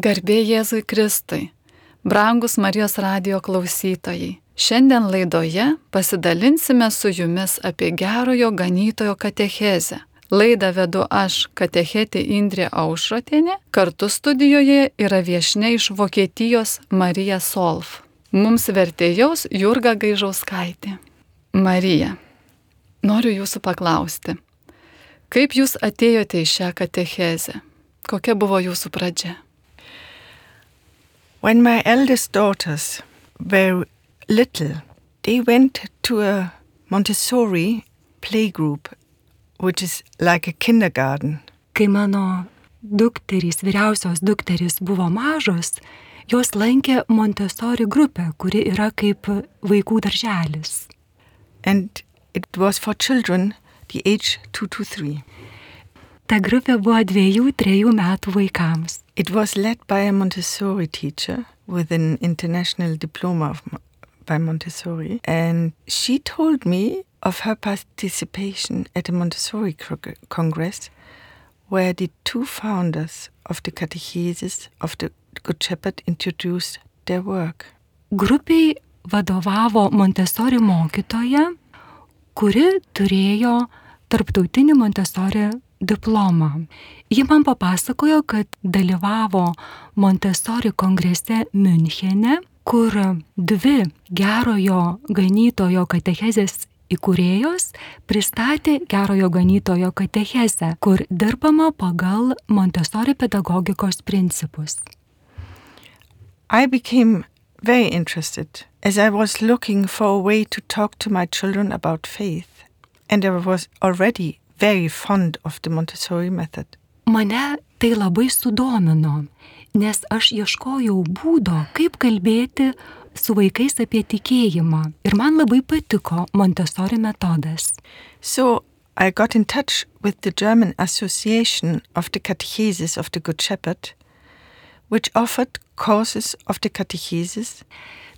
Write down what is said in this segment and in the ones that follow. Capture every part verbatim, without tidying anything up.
Garbė Jėzui Kristui, brangus Marijos radijo klausytojai. Šiandien laidoje pasidalinsime su jumis apie gerojo ganytojo katechezę. Laidą vedu aš, katechetė Indrė Aušrotienė, kartu studijoje yra viešnia iš Vokietijos Marija Solf. Mums vertėjaus Jurga Gaižauskaitė. Marija, noriu jūsų paklausti, kaip jūs atėjote į šią katechezę? Kokia buvo jūsų pradžia? When my eldest daughters were little, they went to a Montessori playgroup, which is like a kindergarten. Kai mano dukterys, vyriausios dukterys buvo mažos, jos lankė Montessori grupę, kuri yra kaip vaikų darželis. And it was for children the age two to three. Ta grupė buvo dviejų, trejų metų vaikams. It was led by a Montessori teacher with an international diploma of, by Montessori. And she told me of her participation at a Montessori Congress where the two founders of the catechesis of the Good Shepherd introduced their work. Grupiai vadovavo Montessori mokytoja, kuri turėjo tarptautinį Montessori diplomą. Ji man papasakojo, kad dalyvavo Montessori kongrese Münchene, kur dvi gerojo ganytojo katechezės įkūrėjos pristatė gerojo ganytojo katechezę, kur dirbama pagal Montessori pedagogikos principus. I became very interested as I was looking for a way to talk to my children about faith, and I was already very fond of the Montessori method. Mane tai labai sudomino, nes aš ieškojau būdo, kaip kalbėti su vaikais apie tikėjimą. Ir man labai patiko Montessori metodas. So I got in touch with the German Association of the Catechesis of the Good Shepherd, which offered courses of the catechesis.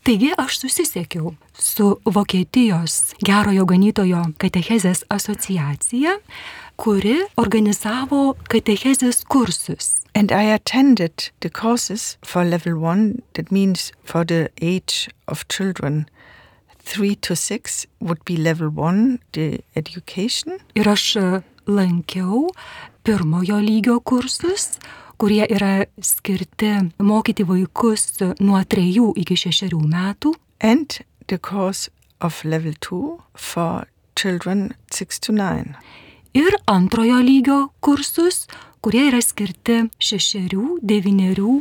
Taigi aš susisiekiau su Vokietijos gerojo ganytojo katechezės asociacija, kuri organizavo katechezės kursus. And I attended the courses for level one, that means for the age of children three to six would be level one, the education. Ir aš lankiau pirmojo lygio kursus, kurie yra skirti mokyti vaikus nuo trejų iki šešerių metų. And the course of level two for children six to nine. Ir antrojo lygio kursus, kurie yra skirti šešerių, devynerių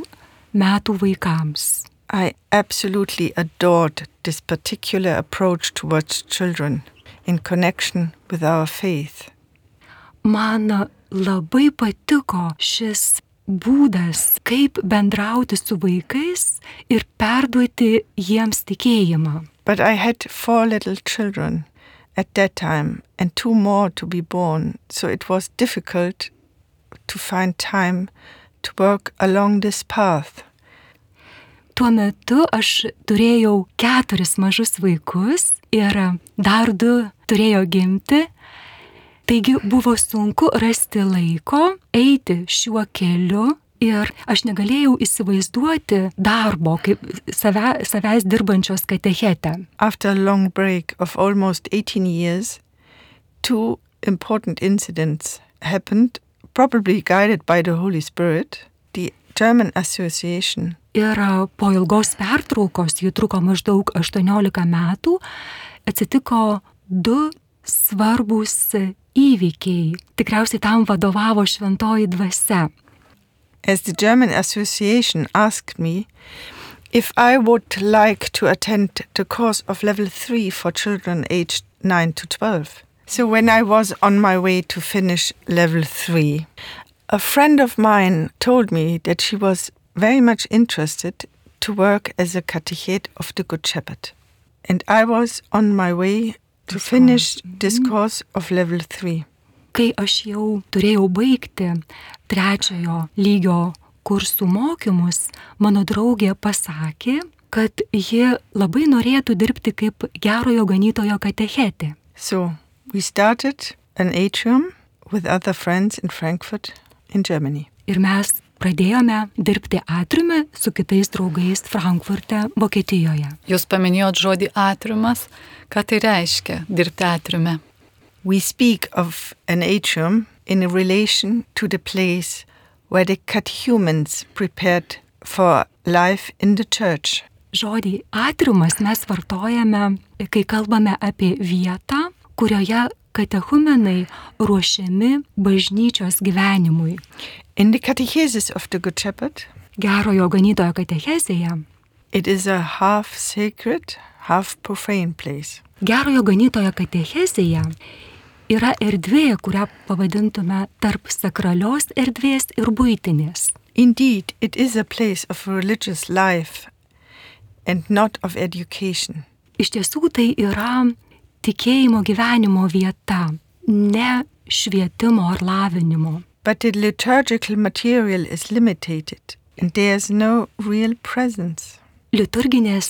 metų vaikams. I absolutely adored this particular approach towards children in connection with our faith. Man labai patiko šis būdas, kaip bendrauti su vaikais ir perduoti jiems tikėjimą. But I had four little children at that time and two more to be born, so it was difficult to find time to work along this path. Tuo metu aš turėjau keturis mažus vaikus ir dar du turėjo gimti. Taigi buvo sunku rasti laiko eiti šiuo keliu ir aš negalėjau įsivaizduoti darbo kaip save, savęs dirbančios katechetę. After a long break of almost eighteen years, two important incidents happened, probably guided by the Holy Spirit. The German Association. Ir po ilgos pertraukos, ji truko maždaug aštuoniolika metų, atsitiko du svarbūs įvykiai. Tikriausiai tam vadovavo šventoji dvasia. As the German Association asked me if I would like to attend the course of level three for children aged nine to twelve. So when I was on my way to finish level three, a friend of mine told me that she was very much interested to work as a catechete of the Good Shepherd. And I was on my way to finish this course of level three. Kai aš jau turėjau baigti trečiojo lygio kursų mokymus, mano draugė pasakė, kad ji labai norėtų dirbti kaip gerojo ganytojo katechetė. So we started an atrium with other friends in Frankfurt in Germany. Ir mes pradėjome dirbti atriume su kitais draugais Frankfurte, Vokietijoje. Jūs paminėjot žodį atriumas. Ką tai reiškia dirbti atriume? We speak of an atrium in relation to the place where the catechumens prepared for life in the church. Žodį atriumas mes vartojame, kai kalbame apie vietą, kurioje katechumenai ruošiami bažnyčios gyvenimui. In the catechesis of the Good Shepherd, Gerojo ganytojo katechezėje, it is a half sacred, half profane place. Gerojo ganytojo katechezėje yra erdvė, kurią pavadintume tarp sakralios erdvės ir buitinės. Indeed, it is a place of religious life and not of education. Iš tiesų tai yra tikėjimo gyvenimo vieta, ne švietimo ar lavinimo. But the liturgical material is limited and there is no real presence. Liturginės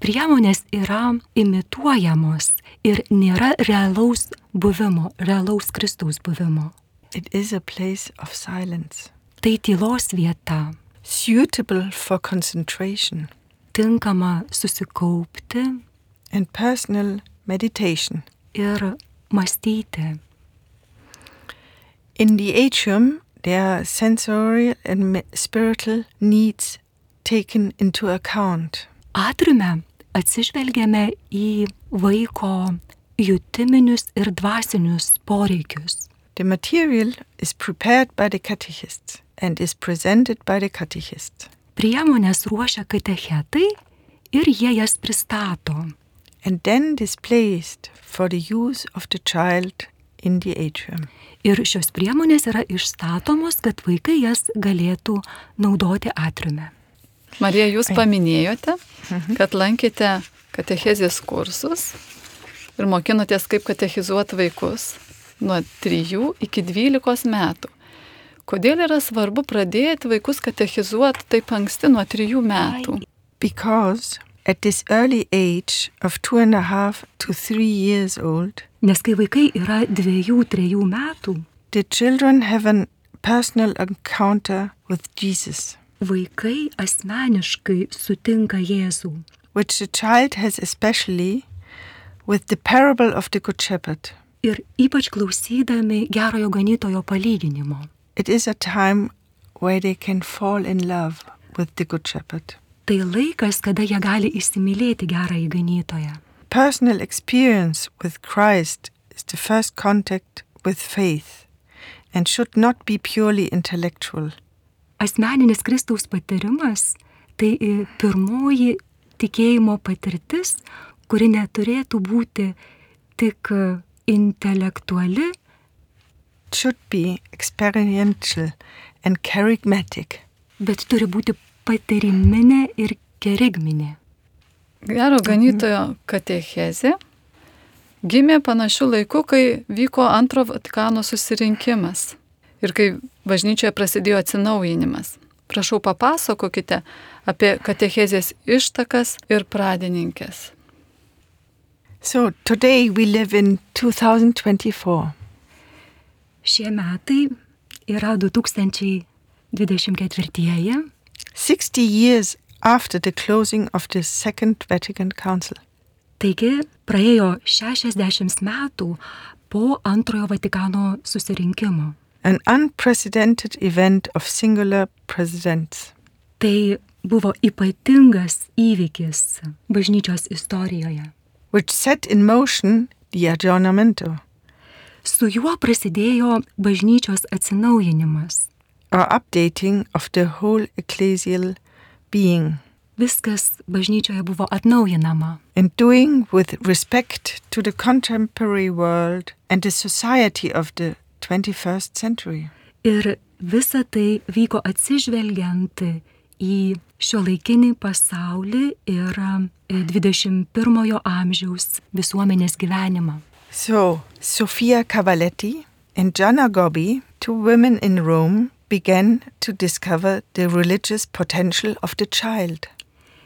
priemonės yra imituojamos ir nėra realaus buvimo, realaus Kristaus buvimo. It is a place of silence, Tai tylos vieta, suitable for concentration tinkama susikaupti and personal meditation. ir mąstyti. In the atrium, there are sensorial and me- spiritual needs taken into account. Atriume atsižvelgiame į vaiko jutiminius ir dvasinius poreikius. The material is prepared by the catechists and is presented by the catechist. Priemonės ruošia katechetai ir jie jas pristato. And then displayed for the use of the child in the atrium. Ir šios priemonės yra išstatomos, kad vaikai jas galėtų naudoti atriume. Marija, jūs paminėjote, kad lankėte katechezės kursus ir mokinotės, kaip katechizuoti vaikus nuo trijų iki dvylikos metų. Kodėl yra svarbu pradėti vaikus katechizuoti taip anksti nuo trijų metų? Because at this early age of two and a half to three years old, Nes kai vaikai yra dviejų, trejų metų, the children have a personal encounter with Jesus, vaikai asmeniškai sutinka Jėzų. which the child has especially with the parable of the Good Shepherd. Ir ypač klausydami Gerojo ganytojo palyginimo. It is a time where they can fall in love with the Good Shepherd. Tai laikas, kada jie gali įsimylėti Gerąjį ganytoją. Personal experience with Christ is the first contact with faith and should not be purely intellectual. Asmeninis Kristaus patyrimas tai pirmoji tikėjimo patirtis, kuri neturėtų būti tik intelektuali, Should be experiential and charismatic. bet turi būti patyriminė ir kerigminė. Gero ganytojo katechezė gimė panašiu laiku, kai vyko antro Vatikano susirinkimas ir kai bažnyčioje prasidėjo atsinaujinimas. Prašau, papasakokite apie katechezės ištakas ir pradininkės. So today we live in two thousand twenty-four. Šie metai yra du tūkstančiai dvidešimt ketvirtieji, sixty years after the closing of the Second Vatican Council. taigi praėjo šešiasdešimt metų po antrojo Vatikano susirinkimo. An unprecedented event of singular presidents. Tai buvo ypatingas įvykis bažnyčios istorijoje. Which set in motion the aggiornamento, Su juo prasidėjo bažnyčios atsinaujinimas. or updating of the whole ecclesial being, Viskas bažnyčioje buvo atnaujinama. and doing with respect to the contemporary world and the society of the twenty-first century. Ir visa tai vyko atsižvelgiant į šiuolaikinį pasaulį ir dvidešimt pirmojo amžiaus visuomenės gyvenimą. So, Sofia Cavalletti and Gianna Gobbi, two women in Rome, began to discover the religious potential of the child.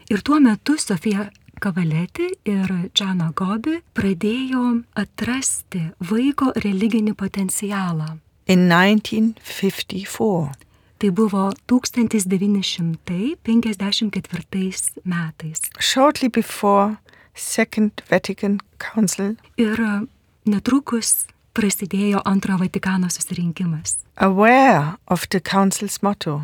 Ir tuo metu Sofija Cavalletti ir Gianna Gobbi pradėjo atrasti vaiko religinį potencialą. In nineteen fifty-four. Tai buvo tūkstantis devyni šimtai penkiasdešimt ketvirtais metais. Shortly before Second Vatican Council, Ir netrukus prasidėjo antrojo Vatikano susirinkimas. aware of the council's motto,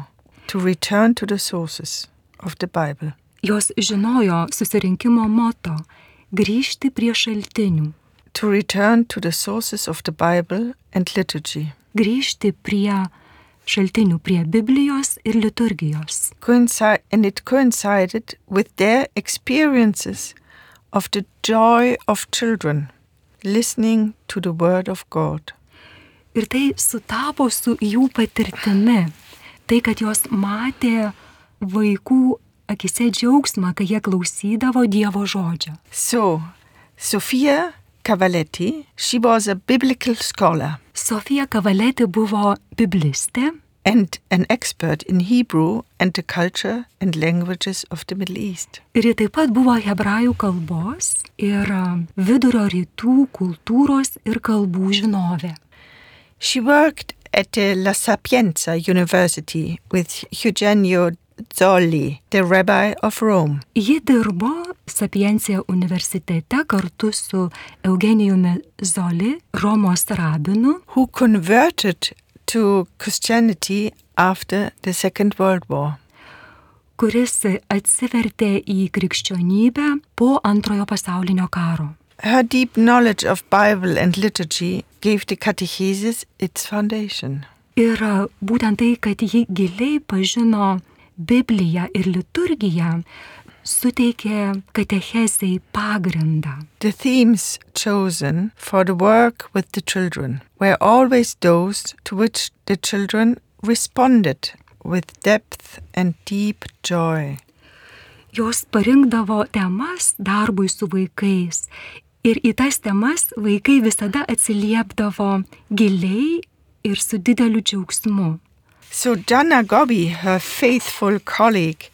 to return to the sources of the Bible. Jos žinojo susirinkimo moto – grįžti prie šaltinių, To return to the sources of the Bible and liturgy. grįžti prie šaltinių, prie Biblijos ir liturgijos. Coincide, and it coincided with their experiences of the joy of children listening to the word of God. Ir tai sutapo su jų patirtimi. Tai, kad jos matė vaikų akise džiaugsmą, kai jie klausydavo Dievo žodžio. So, Sofia Cavalletti, she was a biblical scholar Sofija Cavalletti buvo biblistė and an expert in Hebrew and the culture and languages of the Middle East. ir ji taip pat buvo hebrajų kalbos ir vidurio rytų kultūros ir kalbų žinovė. She worked at the La Sapienza University with Eugenio Zolli, the rabbi of Rome. Ji dirbo Sapiencija universitete kartu su Eugenijumi Zoli, Romos rabinu, Who converted to Christianity after the Second World War. kuris atsivertė į krikščionybę po antrojo pasaulinio karo. Her deep knowledge of Bible and liturgy gave the catechesis its foundation. Ir būtent tai, kad ji giliai pažino Bibliją ir liturgiją, suteikė katechezei pagrindą. The themes chosen for the work with the children were always those to which the children responded with depth and deep joy. Jos parinkdavo temas darbui su vaikais ir į tas temas vaikai visada atsiliepdavo giliai ir su dideliu džiaugsmu. So Gianna Gobbi, her faithful colleague,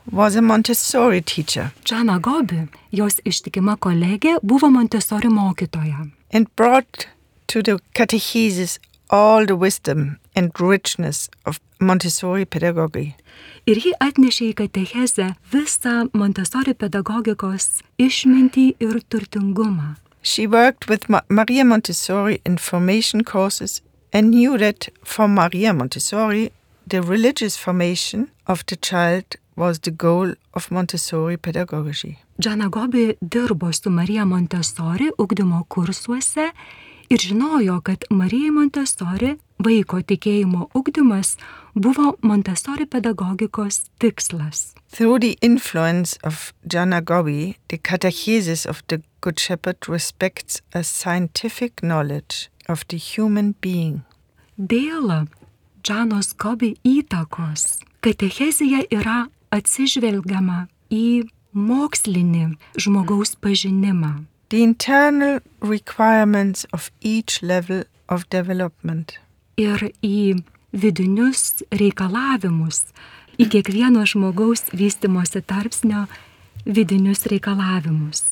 was a Montessori teacher Gianna Gobbi, jos ištikima kolegė, buvo Montessori mokytoja and brought to the catechesis all the wisdom and richness of Montessori pedagogy. ir ji atnešė į katechezę visą Montessori pedagogikos išmintį ir turtingumą. She worked with Ma- Maria Montessori in formation courses and knew that for Maria Montessori, the religious formation of the child was the goal of Montessori pedagogy. Gianna Gobbi dirbo su Marija Montessori ugdymo kursuose ir žinojo, kad Marijai Montessori vaiko tikėjimo ugdymas buvo Montessori pedagogikos tikslas. Through the influence of Gianna Gobbi, the catechesis of the Good Shepherd respects a scientific knowledge of the human being. Dėl Giannos Gobbi įtakos katechezėje yra atsižvelgiama į mokslinį žmogaus pažinimą. The internal requirements of each level of development. Ir į vidinius reikalavimus, į kiekvieno žmogaus vystymosi tarpsnio vidinius reikalavimus.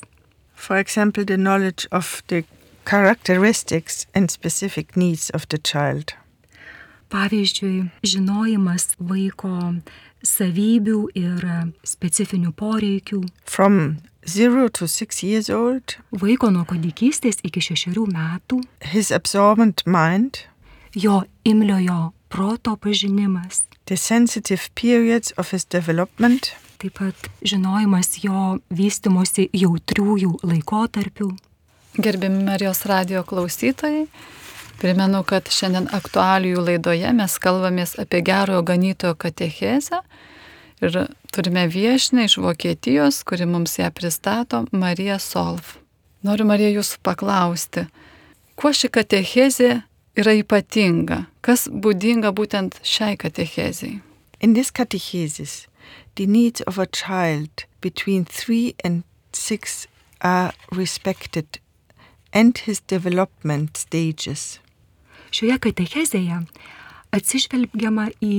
For example, the knowledge of the characteristics and specific needs of the child. Pavyzdžiui, žinojimas vaiko savybių ir specifinių poreikių. From zero to six years old, Vaiko nuo kūdikystės iki šešerių metų, his absorbent mind, jo imliojo proto pažinimas, the sensitive periods of his development, taip pat žinojimas jo vystymosi jautriųjų laikotarpių. Gerbiami Marijos radijo klausytojai, primenu, kad šiandien aktualijų laidoje mes kalbamės apie gerojo ganytojo katechezę ir turime viešinę iš Vokietijos, kuri mums ją pristato, Marija Solf. Noriu, Marija, jūsų paklausti, kuo ši katechezė yra ypatinga, kas būdinga būtent šiai katechezei? In this catechesis, the needs of a child between three and six are respected and his development stages. Šioje katechezėje atsižvelgiama į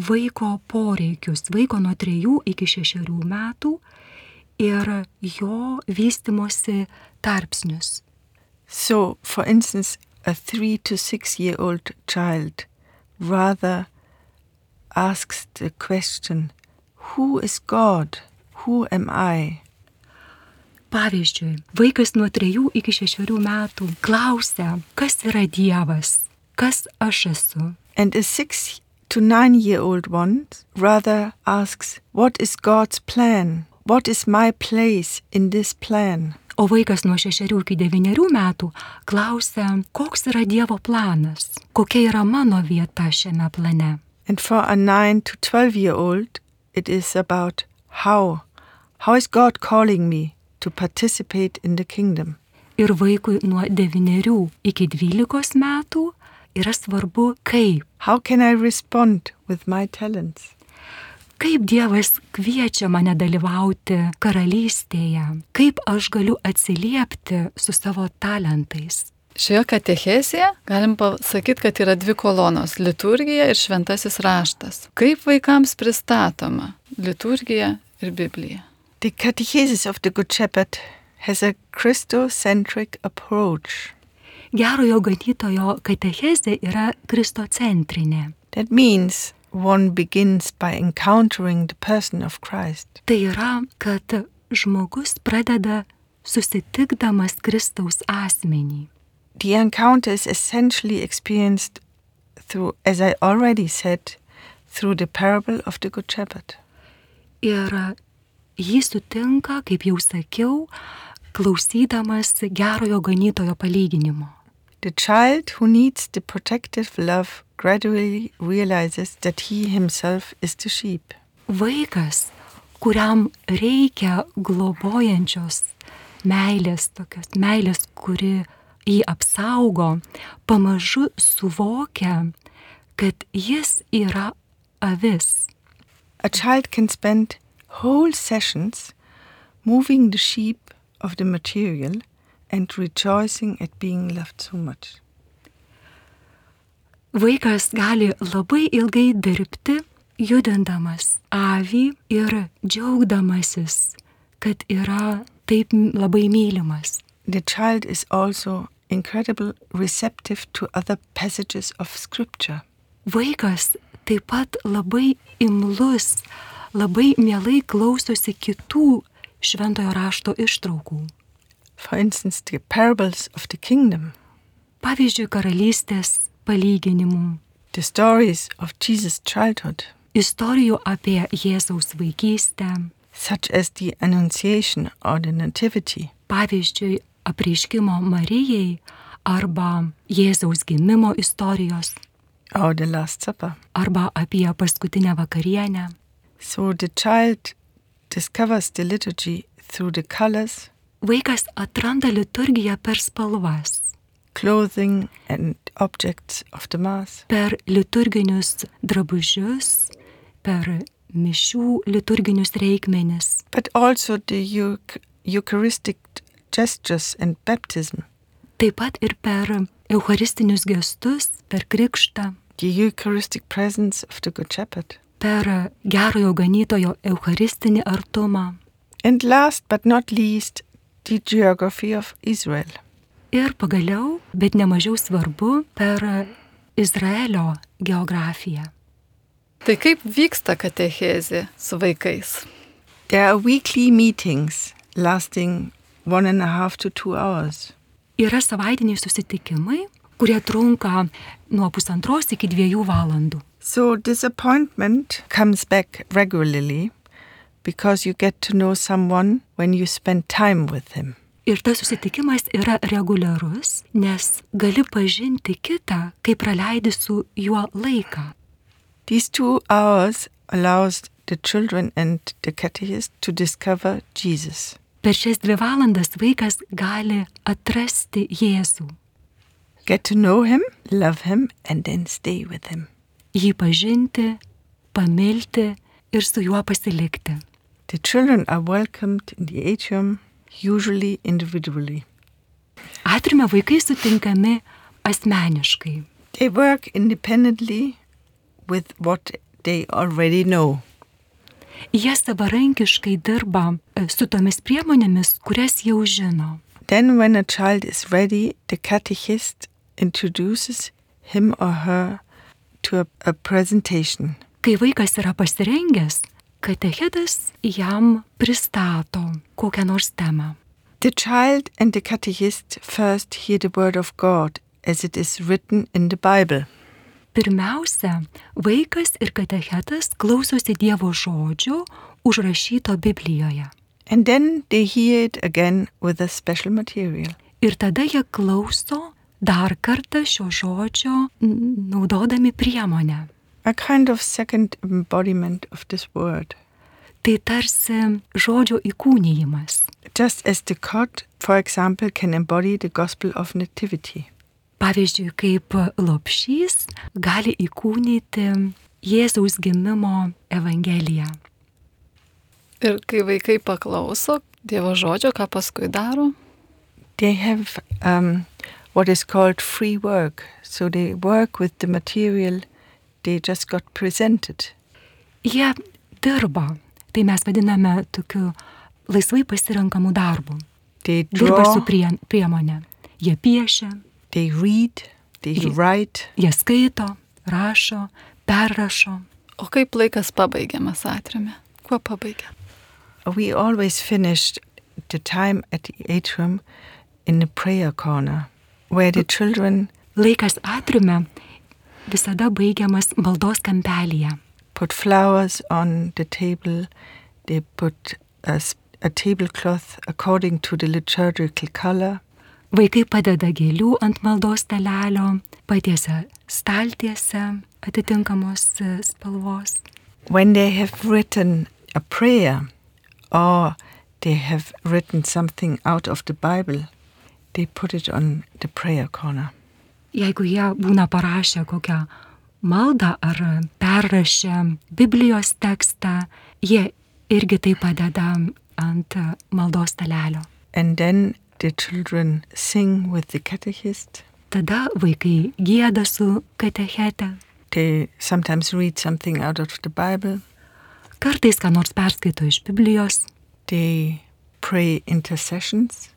vaiko poreikius, vaiko nuo trejų iki šešerių metų ir jo vystimosi tarpsnius. So, for instance, a three to six year old child rather asks the question, who is God? Who am I? Pavyzdžiui, vaikas nuo trejų iki šešerių metų klausia, kas yra Dievas, kas aš esu. And a six to nine year old one rather asks, what is God's plan? What is my place in this plan? O vaikas nuo šešerių iki devynerių metų klausia, koks yra Dievo planas, kokia yra mano vieta šiame plane. And for a nine to twelve year old, it is about how. How is God calling me to participate in the kingdom? Ir vaikui nuo devynerių iki dvylikos metų yra svarbu kaip. How can I respond with my talents? Kaip Dievas kviečia mane dalyvauti karalystėje, kaip aš galiu atsiliepti su savo talentais. Šioje katechezėje galim pasakyti, kad yra dvi kolonos – liturgija ir šventasis raštas. Kaip vaikams pristatoma liturgija ir Biblija? The Catechesis of the Good Shepherd has a Christocentric approach. Gerojo ganytojo katechezė yra kristocentrinė. That means one begins by encountering the person of Christ. Tai yra, kad žmogus pradeda susitikdamas Kristaus asmenį. The encounter is essentially experienced through, as I already said, through the parable of the Good Shepherd. Ir jį sutinka, kaip jau sakiau, klausydamas gerojo ganytojo palyginimo. The child who needs the protective love gradually realizes that he himself is the sheep. Vaikas, kuriam reikia globojančios meilės, tokios meilės, kuri jį apsaugo, pamažu suvokia, kad jis yra avis. A child can spend whole sessions moving the sheep of the material and rejoicing at being loved so much. Vaikas gali labai ilgai dirbti, judindamas avį ir džiaugdamasis, kad yra taip labai mylimas. The child is also incredibly receptive to other passages of scripture. Vaikas taip pat labai imlus, labai mielai klausosi kitų šventojo rašto ištraukų. For instance, the parables of the kingdom. Pavyzdžiui, karalystės palyginimų. The stories of Jesus' childhood. Istorijų apie Jėzaus vaikystę. Such as the Annunciation or the Nativity. Pavyzdžiui, apreiškimo Marijai arba Jėzaus gimimo istorijos. Or the Last Supper. Arba apie paskutinę vakarienę. So the child discovers the liturgy through the colors. Vaikas atranda liturgiją per spalvas. Clothing and objects of the Mass. Per liturginius drabužius, per mišių liturginius reikmenis. But also the Eucharistic gestures and baptism. Taip pat ir per eucharistinius gestus, per krikštą. The Eucharistic presence of the Good Shepherd. Per gerojo ganytojo eucharistinį artumą. And last but not least, the geography of Israel. Ir pagaliau, bet nemažiau svarbu, per Izraelio geografiją. Tai kaip vyksta katechezė su vaikais? There are weekly meetings lasting one and a half to two hours. Yra savaitiniai susitikimai, kurie trunka nuo pusantros iki dviejų valandų. So disappointment comes back regularly because you get to know someone when you spend time with him. Ir tas susitikimas yra reguliarus, nes gali pažinti kitą, kai praleidi su juo laiką. These two hours allows the children and the catechist to discover Jesus. Per šias dvi valandas vaikas gali atrasti Jėzų. Get to know him, love him, and then stay with him. Jį pažinti, pamilti ir su juo pasilikti. The children are welcomed in the atrium, usually individually. Atriume vaikai sutinkami asmeniškai. They work independently with what they already know. Jie savarankiškai dirba su tomis priemonėmis, kurias jau žino. Then when a child is ready, the catechist introduces him or her to a, a presentation. kai vaikas yra pasirengęs, katechetas jam pristato kokią nors temą. The child and the catechist first hear the word of God as it is written in the Bible. Pirmiausia, vaikas ir katechetas klausosi Dievo žodžio užrašyto Biblijoje. And then they hear it again with a special material. Ir tada jie klauso dar kartą šio žodžio naudodami priemonę. A kind of second embodiment of this word. Tai tarsi žodžio įkūnijimas. Just as the cot, for example, can embody the gospel of nativity. Pavyzdžiui, kaip lopšys gali įkūnyti Jėzaus gimimo evangeliją. Ir kai vaikai paklauso Dievo žodžio, ką paskui daro? They have um, what is called free work. So they work with the material they just got presented. Jie dirba. Tai mes vadiname tokiu laisvai pasirenkamų darbų. They Dirba su draw, prie, priemonė. Jie piešia, they read, they Ye- write. jie skaito, rašo, perrašo. O kaip laikas pabaigiamas atriume? Kuo pabaigia? We always finished the time at the atrium in the prayer corner, where the children Laikas atriume visada baigiamas maldos kampelyje. put flowers on the table. They put a, s- a tablecloth according to the liturgical color. Vaikai padeda gėlių ant maldos stalelio, patiesia staltiese atitinkamos e, spalvos. When they have written a prayer or they have written something out of the Bible, they put it on the prayer corner. Jeigu jie būna parašę kokią maldą ar perrašę Biblijos tekstą, jie irgi tai padeda ant e, maldos stalelio. And then the children sing with the catechist. Tada vaikai gieda su katechete. They sometimes read something out of the Bible. Kartais ką nors perskaito iš Biblijos. They pray intercessions,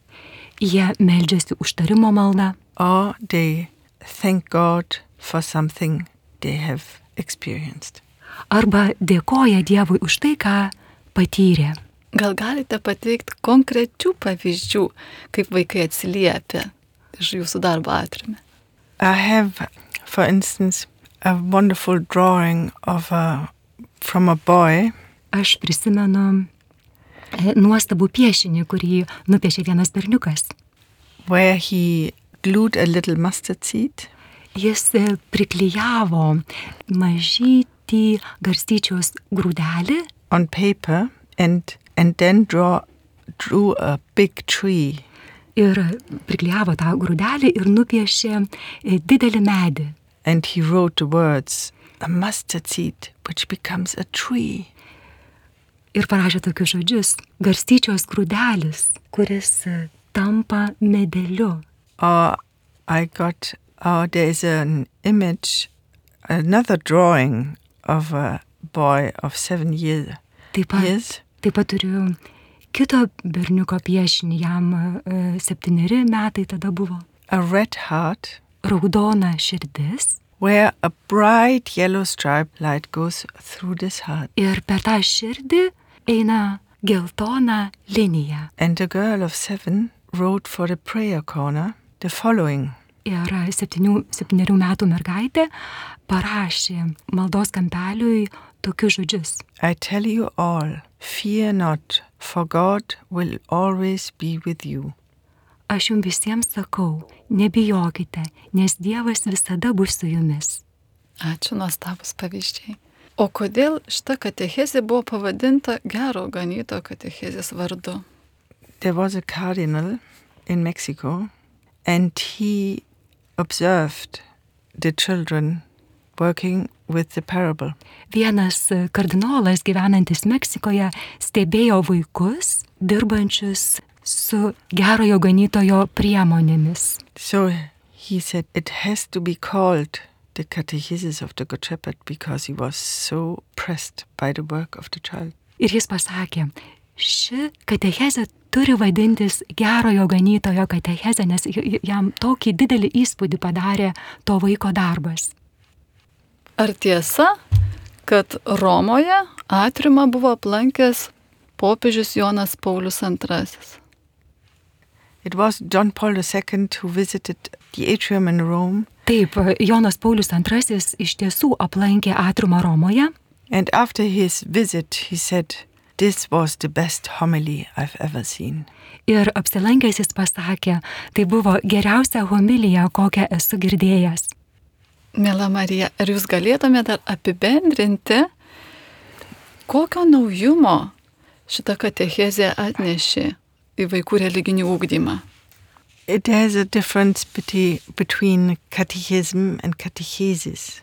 Jie meldžiasi užtarimo maldą. or they thank God for something they have experienced. Arba dėkoja Dievui už tai, ką patyrė. Gal galite pateikti konkrečių pavyzdžių, kaip vaikai atsiliepia iš jūsų darbo atriume? I have, for instance, a wonderful drawing of a, from a boy Aš prisimenu e, nuostabų piešinį, kurį nupiešė vienas berniukas. where he glued a little mustard seed Jis e, priklijavo mažytį garstyčios grūdelį on paper and and then draw drew a big tree. ir priklijavo tą grūdelį ir nupiešė e, didelį medį. And he wrote the words, a mustard seed which becomes a tree. Ir parašė tokius žodžius: garstyčios grūdelis, kuris e, tampa medeliu. Or I got, or there is an image, another drawing of a boy of seven year, Taip pat, years. taip pat turiu kito berniuko piešinį, jam e, septyneri metai tada buvo. A red heart Raudona širdis where a bright yellow stripe light goes through this heart. ir per tą širdį eina geltona linija. And the girl of seven wrote for the prayer corner the following. Ir septynių, septynerių metų mergaitė parašė maldos kampeliui tokius žodžius: I tell you all, fear not, for God will always be with you. Aš jums visiems sakau, nebijokite, nes Dievas visada bus su jumis. Ačiū, nuostabus pavyzdžiai. O kodėl šita katechezė buvo pavadinta Gero ganytojo katechezės vardu? There was a cardinal in Mexico, and he observed the children working with the parable. Vienas kardinolas gyvenantis Meksikoje stebėjo vaikus, dirbančius su gerojo ganytojo priemonėmis. So he said it has to be called the catechesis of the Good Shepherd because he was so pressed by the work of the child. Ir jis pasakė, ši katechezė turi vadintis gerojo ganytojo katechezė, nes jam tokį didelį įspūdį padarė to vaiko darbas. Ar tiesa, kad Romoje atriumą buvo aplankęs popiežius Jonas Paulius antrasis. It was John Paul the Second who visited the atrium in Rome. Taip, Jonas Paulius antrasis iš tiesų aplankė atriumą Romoje. And after his visit, he said, "This was the best homily I've ever seen." Ir apsilankęs jis pasakė, tai buvo geriausia homilija, kokią esu girdėjęs. Miela Marija, ar jūs galėtumėte dar apibendrinti, kokio naujumo šitą katechezę atnešė į vaikų religinį ugdymą? It has a difference between catechism and catechesis.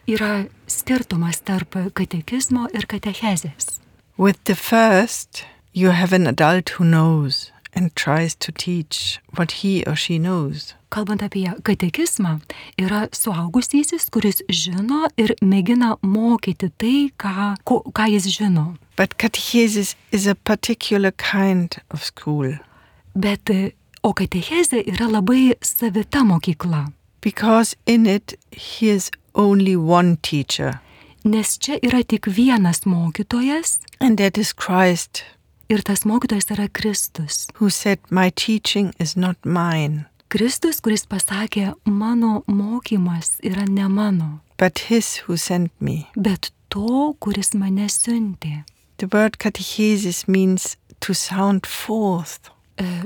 Yra skirtumas tarp katekizmo ir katechezės. With the first, you have an adult who knows and tries to teach what he or she knows. Kalbant apie katekizmą, yra suaugusysis, kuris žino ir mėgina mokyti tai, ką, ko, ką jis žino. But catechesis is a particular kind of school. Bet o katechezė yra labai savita mokykla. Because in it he is only one teacher. Nes čia yra tik vienas mokytojas. And that is Christ. Ir tas mokytojas yra Kristus. Who said, "My teaching is not mine." Kristus, kuris pasakė, mano mokymas yra ne mano. But his who sent me. Bet to, kuris mane siuntė. The word catechesis means to sound forth.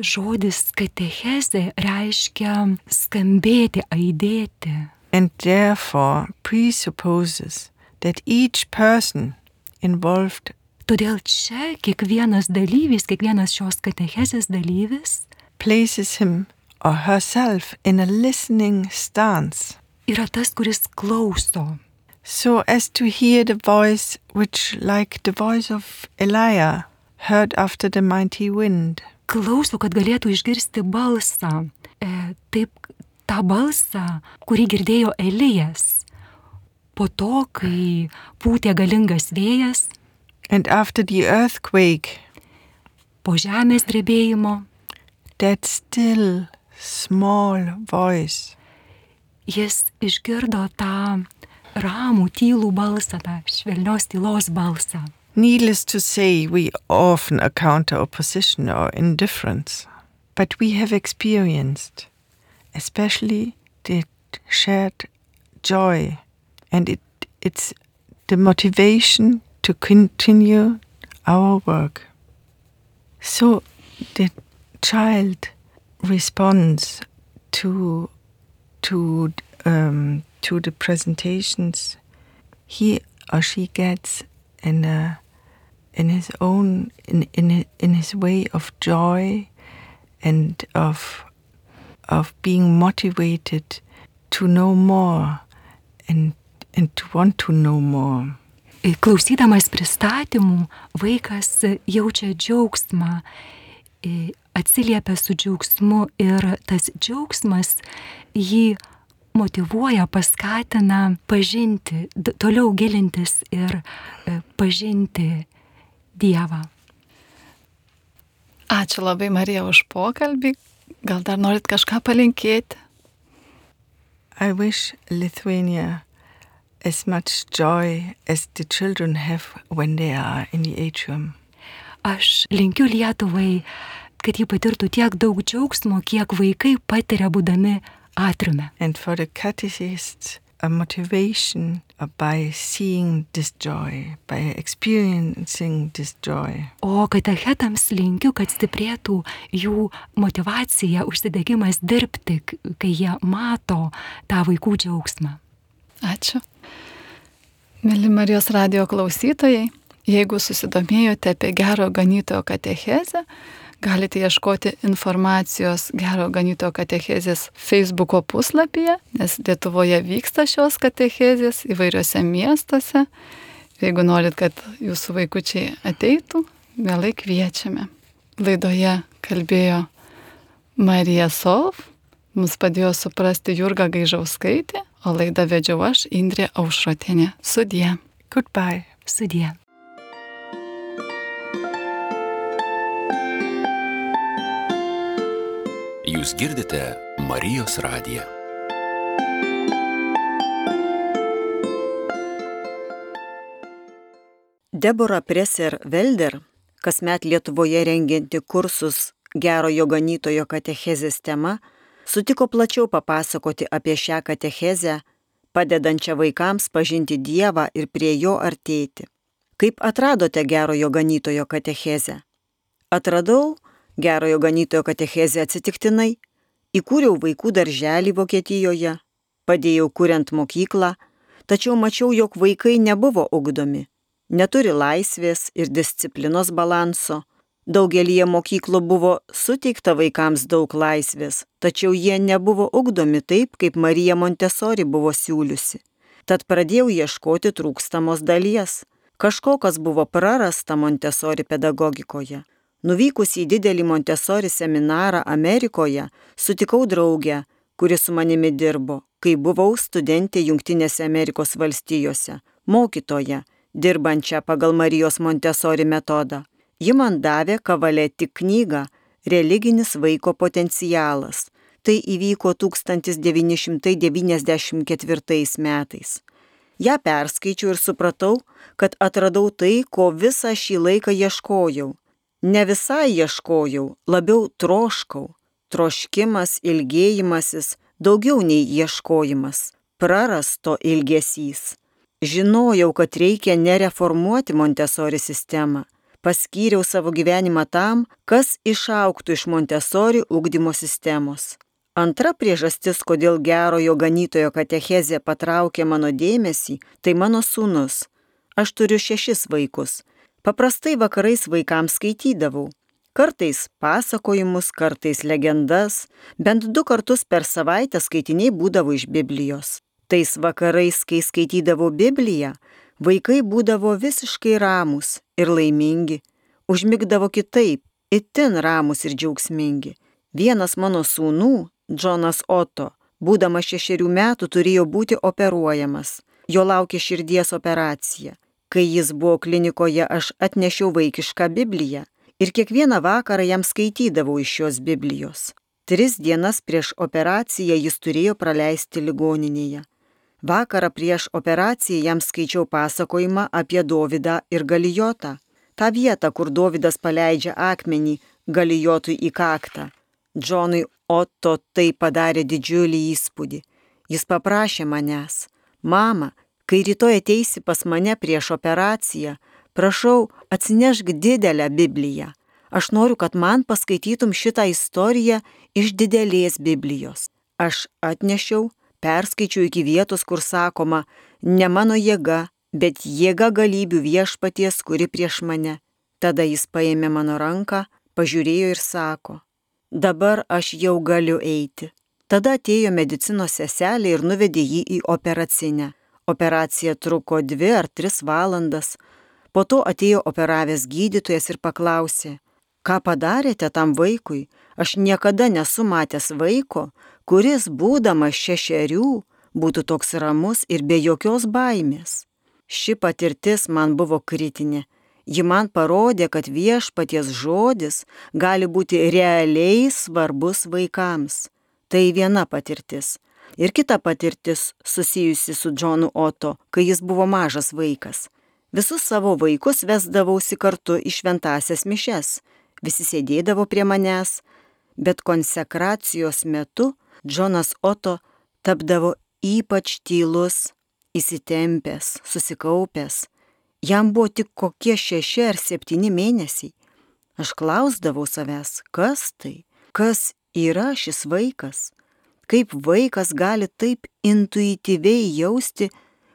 Žodis katechezė reiškia skambėti, aidėti. And therefore presupposes that each person involved. Todėl čia kiekvienas dalyvis, kiekvienas šios katechezės dalyvis places him or herself in a listening stance. Yra tas, kuris klauso. So as to hear the voice which, like the voice of Elijah, heard after the mighty wind. Klauso, kad galėtų išgirsti balsą. E, taip, tą balsą, kurį girdėjo Elijas. Po to, kai pūtė galingas vėjas. And after the earthquake. Po žemės drebėjimo. That still small voice. Jis išgirdo tą ramų, tylų balsą, tą švelnios tylos balsą. Needless to say, we often encounter opposition or indifference, but we have experienced, especially the shared joy, and it, it's the motivation to continue our work. So the child responds to to um, to the presentations he or she gets in a, in his own in in in his way of joy and of of being motivated to know more and and to want to know more. Klausydamas pristatymų, vaikas jaučia džiaugsmą, atsiliepia su džiaugsmu ir tas džiaugsmas jį motyvuoja, paskatina pažinti, toliau gilintis ir pažinti Dievą. Ačiū labai, Marija, už pokalbį. Gal dar norit kažką palinkėti? I wish Lithuania as much joy as the children have when they are in the atrium. Aš linkiu Lietuvai, kad jį patirtų tiek daug džiaugsmo, kiek vaikai patiria būdami atriume. And for the catechists, a motivation by seeing this joy, by experiencing this joy. O katechetams linkiu, kad stiprėtų jų motivacija, užsidegimas dirbti, kai jie mato tą vaikų džiaugsmą. Ačiū. Mėly Marijos radijo klausytojai, jeigu susidomėjote apie Gero Ganytojo katechezę, galite ieškoti informacijos Gero Ganytojo katechezės Facebooko puslapyje, nes Lietuvoje vyksta šios katechezės įvairiuose miestuose. Jeigu norit, kad jūsų vaikučiai ateitų, mielai kviečiame. Laidoje kalbėjo Marija Solf, mums padėjo suprasti Jurga Gaižauskaitė, o laidą vedžiau aš, Indrė Aušrotienė. Sudie. Goodbye. Sudie. Jūs girdite Marijos radiją. Deborah Presser-Velder, kasmet Lietuvoje rengianti kursus Gerojo ganytojo katechezės tema, sutiko plačiau papasakoti apie šią katechezę, padedančią vaikams pažinti Dievą ir prie jo artėti. Kaip atradote Gerojo ganytojo katechezę? Atradau Gerojo ganytojo katechezę atsitiktinai, įkūriau vaikų darželį Vokietijoje, padėjau kuriant mokyklą, tačiau mačiau, jog vaikai nebuvo ugdomi, neturi laisvės ir disciplinos balanso. Daugelyje mokyklų buvo suteikta vaikams daug laisvės, tačiau jie nebuvo ugdomi taip, kaip Marija Montessori buvo siūliusi. Tad pradėjau ieškoti trūkstamos dalies. Kažko, kas buvo prarasta Montessori pedagogikoje. Nuvykus į didelį Montessori seminarą Amerikoje, sutikau draugę, kuri su manimi dirbo, kai buvau studentė Jungtinėse Amerikos valstijose, mokytoja, dirbančią pagal Marijos Montessori metodą. Ji man davė Kavaletti knygą Religinis vaiko potencialas. Tai įvyko tūkstantis devyni šimtai devyniasdešimt ketvirtais metais. Ja perskaičiau ir supratau, kad atradau tai, ko visą šį laiką ieškojau. Ne visai ieškojau, labiau troškau. Troškimas, ilgėjimasis, daugiau nei ieškojimas. Prarasto ilgesys. Žinojau, kad reikia nereformuoti Montessori sistemą. Paskyriau savo gyvenimą tam, kas išaugtų iš Montessori ugdymo sistemos. Antra priežastis, kodėl Gerojo ganytojo katechezė patraukė mano dėmesį, tai mano sūnus. Aš turiu šešis vaikus. Paprastai vakarais vaikams skaitydavau. Kartais pasakojimus, kartais legendas, bent du kartus per savaitę skaitiniai būdavo iš Biblijos. Tais vakarais, kai skaitydavau Bibliją, vaikai būdavo visiškai ramūs ir laimingi, užmigdavo kitaip, itin ramūs ir džiaugsmingi. Vienas mano sūnų, Džonas Otto, būdamas šešerių metų turėjo būti operuojamas. Jo laukė širdies operacija. Kai jis buvo klinikoje, aš atnešiau vaikišką Bibliją ir kiekvieną vakarą jam skaitydavau iš šios Biblijos. Tris dienas prieš operaciją jis turėjo praleisti ligoninėje. Vakarą prieš operaciją jam skaičiau pasakojimą apie Dovydą ir Galijotą. tą vietą, kur Dovydas paleidžia akmenį Galijotui į kaktą. Džonui Otto tai padarė didžiulį įspūdį. Jis paprašė manęs: mama, kai rytoj ateisi pas mane prieš operaciją, prašau, atsinešk didelę Bibliją. Aš noriu, kad man paskaitytum šitą istoriją iš didelės Biblijos. Aš atnešiau, perskaičiau iki vietos, kur sakoma: ne mano jėga, bet jėga galybių viešpaties, kuri prieš mane. Tada jis paėmė mano ranką, pažiūrėjo ir sako: dabar aš jau galiu eiti. Tada atėjo medicinos seselė ir nuvedė jį į operacinę. Operacija truko dvi ar tris valandas. Po to atėjo operavęs gydytojas ir paklausė: ką padarėte tam vaikui? Aš niekada nesu matęs vaiko, kuris, būdamas šešerių, būtų toks ramus ir be jokios baimės. Ši patirtis man buvo kritinė. Ji man parodė, kad viešpaties žodis gali būti realiai svarbus vaikams. Tai viena patirtis. Ir kita patirtis susijusi su Džonu Otto, kai jis buvo mažas vaikas. Visus savo vaikus vesdavausi kartu į šventąsias mišes. Visi sėdėdavo prie manęs, bet konsekracijos metu Džonas Otto tapdavo ypač tylus, įsitempęs, susikaupęs. Jam buvo tik kokie šeši ar septyni mėnesiai. Aš klausdavau savęs, kas tai, kas yra šis vaikas? Kaip vaikas gali taip intuityviai jausti,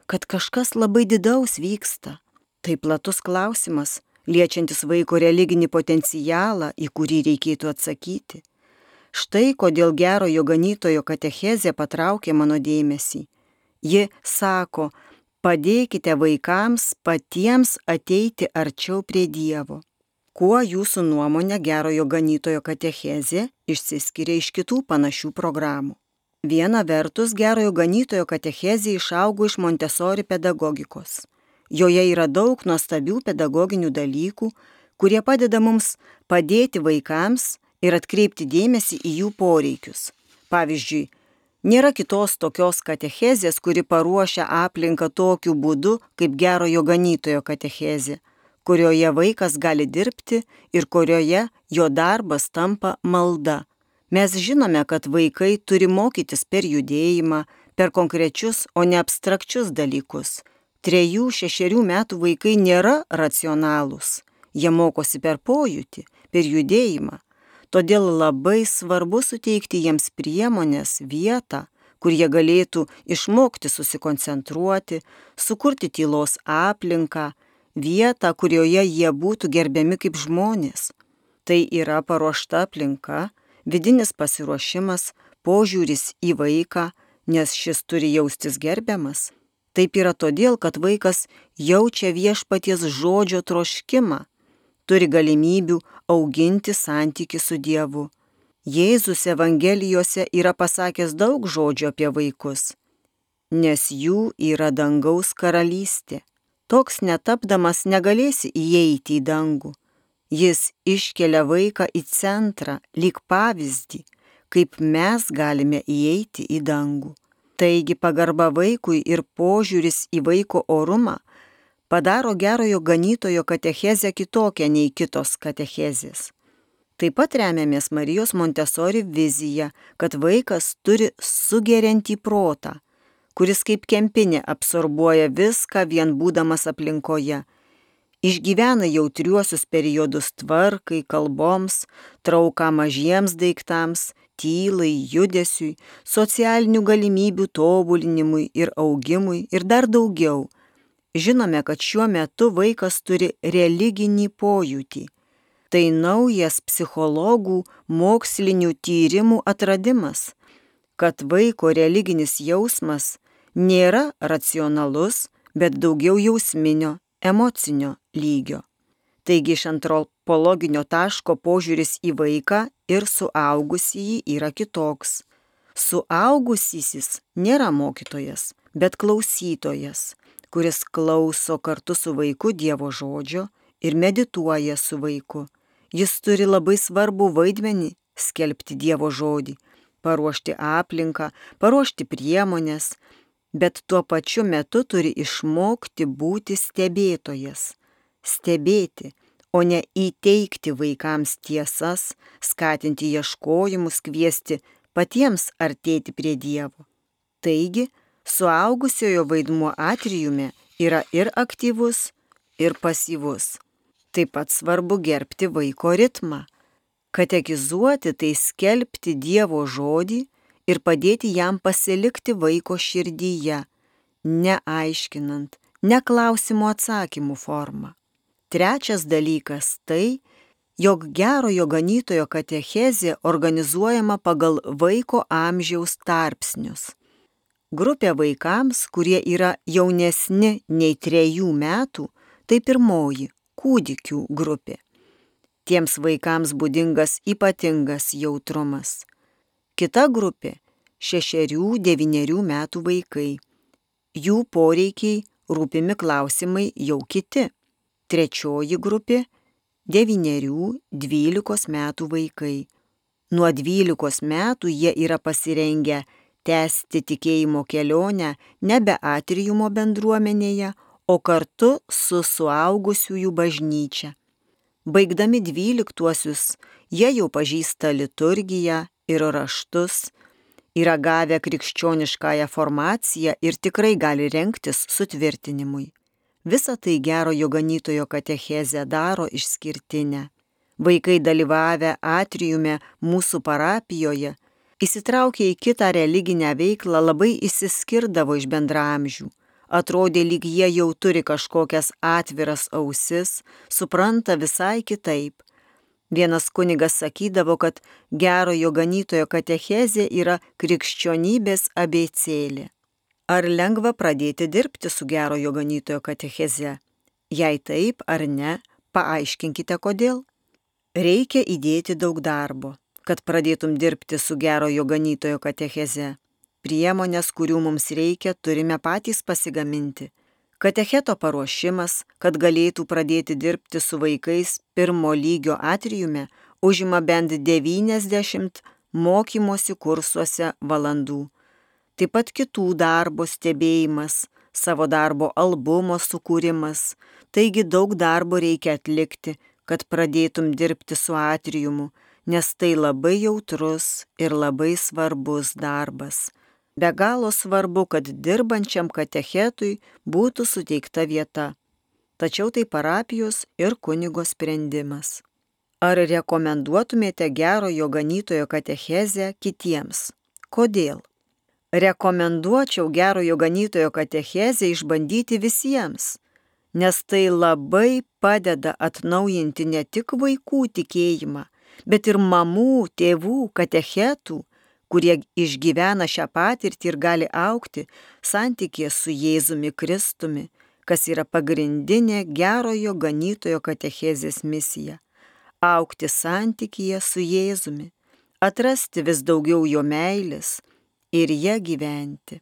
kad kažkas labai didaus vyksta? Tai platus klausimas, liečiantis vaiko religinį potencialą, į kurį reikėtų atsakyti. Štai kodėl gerojo ganytojo katechezė patraukė mano dėmesį. Ji sako: padėkite vaikams patiems ateiti arčiau prie Dievo. Kuo jūsų nuomonė gerojo ganytojo katechezė išsiskiria iš kitų panašių programų? Viena vertus, gerojo ganytojo katechezė išaugo iš Montessori pedagogikos. Joje yra daug nuostabių pedagoginių dalykų, kurie padeda mums padėti vaikams ir atkreipti dėmesį į jų poreikius. Pavyzdžiui, nėra kitos tokios katechezės, kuri paruošia aplinką tokiu būdu, kaip gerojo ganytojo katechezė. kurioje vaikas gali dirbti ir kurioje jo darbas tampa malda. Mes žinome, kad vaikai turi mokytis per judėjimą, per konkrečius, o ne abstrakčius dalykus. Trejų, šešerių metų vaikai nėra racionalūs. Jie mokosi per pojūtį, per judėjimą. Todėl labai svarbu suteikti jiems priemonės, vietą, kur jie galėtų išmokti susikoncentruoti, sukurti tylos aplinką, vietą, kurioje jie būtų gerbiami kaip žmonės. Tai yra paruošta aplinka, vidinis pasiruošimas, požiūris į vaiką, nes šis turi jaustis gerbiamas. Taip yra todėl, kad vaikas jaučia viešpaties žodžio troškimą, turi galimybių auginti santykį su Dievu. Jėzus Evangelijose yra pasakęs daug žodžių apie vaikus, nes jų yra dangaus karalystė. Toks netapdamas negalėsi įeiti į dangų. Jis iškelia vaiką į centrą, lyg pavyzdį, kaip mes galime įeiti į dangų. Taigi pagarba vaikui ir požiūris į vaiko orumą padaro gerojo ganytojo katechezę kitokią nei kitos katechezės. Taip pat remiamės Marijos Montesori viziją, kad vaikas turi sugeriantį protą, kuris kaip kempinė absorbuoja viską vien būdamas aplinkoje. Išgyvena jautriuosius periodus tvarkai, kalboms, trauką mažiems daiktams, tylai, judesiui, socialinių galimybių tobulinimui ir augimui ir dar daugiau. Žinome, kad šiuo metu vaikas turi religinį pojūtį. Tai naujas psichologų mokslinių tyrimų atradimas, kad vaiko religinis jausmas nėra racionalus, bet daugiau jausminio, emocinio lygio. Taigi iš antropologinio taško požiūris į vaiką ir suaugusįjį yra kitoks. Suaugusysis nėra mokytojas, bet klausytojas, kuris klauso kartu su vaiku Dievo žodžio ir medituoja su vaiku. Jis turi labai svarbų vaidmenį skelbti Dievo žodį, paruošti aplinką, paruošti priemonės, bet tuo pačiu metu turi išmokti būti stebėtojas. Stebėti, o ne įteikti vaikams tiesas, skatinti ieškojimus, kviesti patiems artėti prie Dievo. Taigi, suaugusiojo vaidmuo atriume yra ir aktyvus, ir pasyvus. Taip pat svarbu gerbti vaiko ritmą. Katekizuoti tai skelbti Dievo žodį ir padėti jam pasilikti vaiko širdyje, neaiškinant, ne klausimo atsakymų formą. Trečias dalykas tai, jog gerojo ganytojo katechezė organizuojama pagal vaiko amžiaus tarpsnius. Grupė vaikams, kurie yra jaunesni nei trejų metų, tai pirmoji kūdikių grupė. Tiems vaikams būdingas ypatingas jautrumas. Kita grupė – šešerių, devynerių metų vaikai. Jų poreikiai, rūpimi klausimai jau kiti. Trečioji grupė – devynerių, dvylikos metų vaikai. Nuo dvylikos metų jie yra pasirengę tęsti tikėjimo kelionę nebe atriumo bendruomenėje, o kartu su suaugusiųjų bažnyčia. Baigdami dvyliktuosius, jie jau pažįsta liturgiją ir raštus, yra gavę krikščioniškąją formaciją ir tikrai gali rengtis sutvirtinimui. Visa tai gerojo ganytojo katechezę daro išskirtinę. Vaikai dalyvavę atriume mūsų parapijoje, įsitraukę į kitą religinę veiklą, labai išsiskirdavo iš bendraamžių. Atrodė, lyg jie jau turi kažkokias atviras ausis, supranta visai kitaip. Vienas kunigas sakydavo, kad gerojo ganytojo katechezė yra krikščionybės abėcėlė. Ar lengva pradėti dirbti su gerojo ganytojo katecheze? Jei taip ar ne, paaiškinkite kodėl. Reikia įdėti daug darbo, kad pradėtum dirbti su gerojo ganytojo katecheze. Priemonės, kurių mums reikia, turime patys pasigaminti. Katecheto paruošimas, kad galėtų pradėti dirbti su vaikais pirmo lygio atriume, užima bent devyniasdešimt mokymosi kursuose valandų. Taip pat kitų darbo stebėjimas, savo darbo albumo sukūrimas, Taigi daug darbo reikia atlikti, kad pradėtum dirbti su atriumu, nes tai labai jautrus ir labai svarbus darbas. Be galo svarbu, kad dirbančiam katechetui būtų suteikta vieta. Tačiau tai parapijos ir kunigo sprendimas. Ar rekomenduotumėte gerojo ganytojo katechezę kitiems? Kodėl? Rekomenduočiau gerojo ganytojo katechezę išbandyti visiems, nes tai labai padeda atnaujinti ne tik vaikų tikėjimą, bet ir mamų, tėvų, katechetų, kurie išgyvena šią patirtį ir gali augti santykėje su Jėzumi Kristumi, kas yra pagrindinė gerojo ganytojo katechezės misija – augti santykėje su Jėzumi, atrasti vis daugiau jo meilės ir ją gyventi.